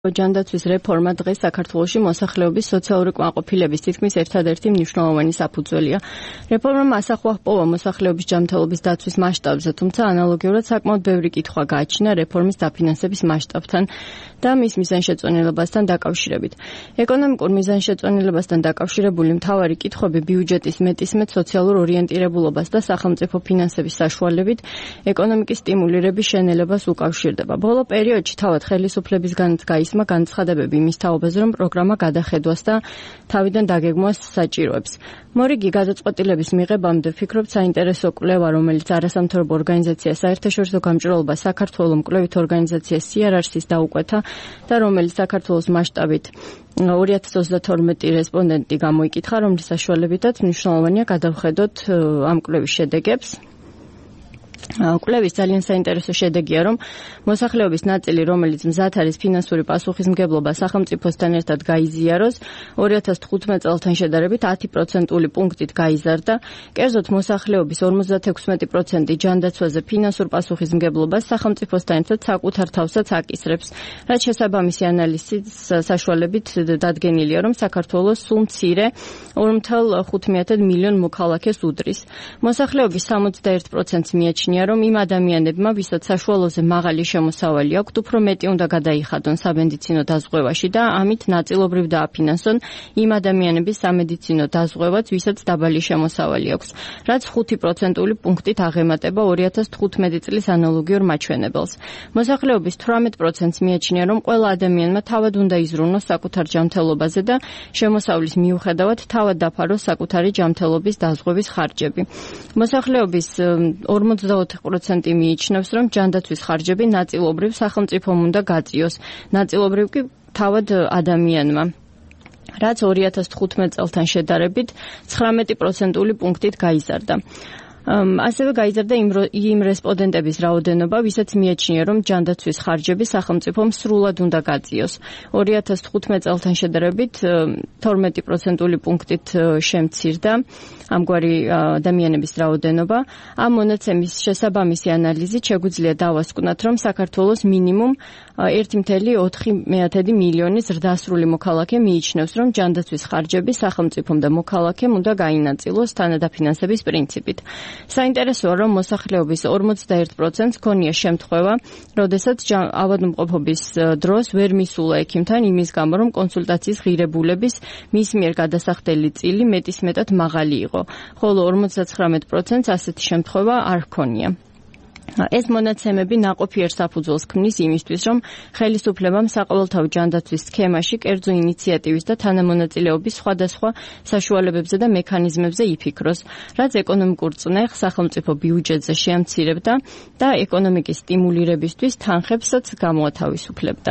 ჯანდაცვის რეფორმა დღეს საქართველოში მოსახლეობის სოციალური კმაყოფილების თითქმის ერთადერთი მნიშვნელოვანი საფუძველია. რეფორმამ ასახვა ჰპოვა მოსახლეობის ჯანმრთელობის დაცვის მასშტაბზე, თუმცა ანალოგიურად საკმაოდ ბევრი კითხვა გააჩნია რეფორმის დაფინანსების მასშტაბთან და მის მიზანშეწონილებასთან დაკავშირებით. ეკონომიკურ მიზანშეწონილებასთან დაკავშირებული მთავარი კითხვები ბიუჯეტის მეტისმეტ სოციალურ ორიენტირებულობას და სახელმწიფო ფინანსების საშუალებით ეკონომიკის სტიმულირების შენელებას უკავშირდება. ბოლო პერიოდში თავად ხელისუფლებისგანაც გაისმა განცხადებები იმის თაობაზე, რომ პროგრამა გადახედვას და თავიდან დაგეგმვას საჭიროებს. მორიგი გადაწყვეტილების მიღებამდე ვფიქრობ, საინტერესო კვლევა, რომელიც არასამთავრობო ორგანიზაცია საერთაშორისო გამჭვირვალობა საქართველოს მკვლევით ორგანიზაცია CRRC-ს დაუკვეთა და რომელიც საქართველოს მასშტაბით 2032 რესპონდენტი გამოიკითხა, რომლის საშუალებითაც მნიშვნელოვანია გადავხედოთ ამ კვლევის შედეგებს. კვლევის ძალიან საინტერესო შედეგია, რომ მოსახლეობის ნაწილი, რომელიც მზად არის ფინანსური პასუხისმგებლობა სახელმწიფოსთან ერთად გაიზიაროს, 2015 წელთან შედარებით 10% პუნქტით გაიზარდა. კერძოდ მოსახლეობის 56% ჯანდაცვაზე ფინანსურ პასუხისმგებლობას სახელმწიფოსთან ერთად საკუთარ თავსაც აკისრებს, რაც შესაბამისი ანალიზის საშუალებით დადგენილია, რომ საქართველოს სულ მცირე 2,5 მილიონ მოქალაქეს უდრის. მოსახლეობის 61%-ს მიაჩნია, რომ იმ ადამიანებმა, ვისაც საშუალოზე მაღალი შემოსავალი აქვთ, უფრო მეტი უნდა გადაიხადონ სამედიცინო დაზღვევაში და ამით ნაწილობრივ დააფინანსონ იმ ადამიანების სამედიცინო დაზღვევაც, ვისაც დაბალი შემოსავალი აქვს, რაც 5% პუნქტით აღემატება 2015 წლის ანალოგიურ მაჩვენებელს. მოსახლეობის 18%-ს მიაჩნია, რომ ყველა ადამიანმა თავად უნდა იზრუნოს საკუთარ ჯანმრთელობაზე და შემოსავლის მიუხედავად თავად დაფაროს საკუთარი ჯანმრთელობის დაზღვევის ხარჯები. მოსახლეობის 44% მიიჩნევს, რომ ჯანდაცვის ხარჯები ნაწილობრივ სახელმწიფომ უნდა გაწიოს, ნაწილობრივ კი თავად ადამიანმა, რაც 2015 წელთან შედარებით 19% პუნქტით გაიზარდა. ასევე გაიზარდა იმ რესპონდენტების რაოდენობა, ვისაც მიაჩნია, რომ ჯანდაცვის ხარჯები სახელმწიფომ სრულად უნდა გაწიოს. 2015 წელთან შედარებით 12% პუნქტით შემცირდა ამგვარი ადამიანების რაოდენობა. ამ მონაცემის შესაბამისი ანალიზით შეგვიძლია დავასკვნათ, რომ საქართველოს მინიმუმ 1,4 მილიონი ზრდასრული მოქალაქე მიიჩნევს, რომ ჯანდაცვის ხარჯები სახელმწიფომ და მოქალაქემ უნდა გაინაწილოს თანადაფინანსების პრინციპით. საინტერესოა, რომ მოსახლეობის 41%-ს ჰქონია შემთხვევა, როდესაც ავადმყოფობის დროს ვერ მისულა ექიმთან იმის გამო, რომ კონსულტაციის ღირებულების მის მიერ გადასახდელი წილი მეტისმეტად მაღალი იყო, ხოლო 59%-ს ასეთი შემთხვევა არ ჰქონია. ეს მონაცემები ნაყოფიერ საფუძველს ქმნის იმისთვის, რომ ხელისუფლებამ საყოველთაო ჯანდაცვის სქემაში კერძო ინიციატივის და თანამონაწილეობის სხვადასხვა საშუალებებზე და მექანიზმებზე იფიქროს, რაც ეკონომიკურ წნეხს სახელმწიფო ბიუჯეტზე შეამცირებდა და ეკონომიკის სტიმულირებისთვის თანხებსაც გამოათავისუფლებდა.